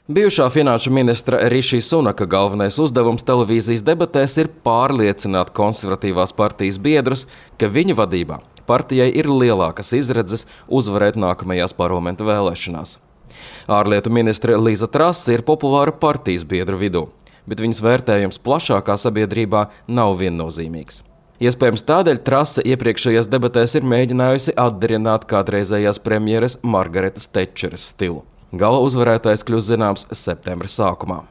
Bijušā finanšu ministra Rišī Sunaka galvenais uzdevums televīzijas debatēs ir pārliecināt konservatīvās partijas biedrus, ka viņa vadībā partijai ir lielākas izredzes uzvarēt nākamajās parlamenta vēlēšanās. Ārlietu ministre Liza Trase ir populāra partijas biedru vidū, bet viņas vērtējums plašākā sabiedrībā nav viennozīmīgs. Iespējams tādēļ Trase iepriekšējās debatēs ir mēģinājusi atdarināt kādreizējās premjeres Margaretas Tečeres stilu. Gala uzvarētājs kļūs zināms septembra sākumā.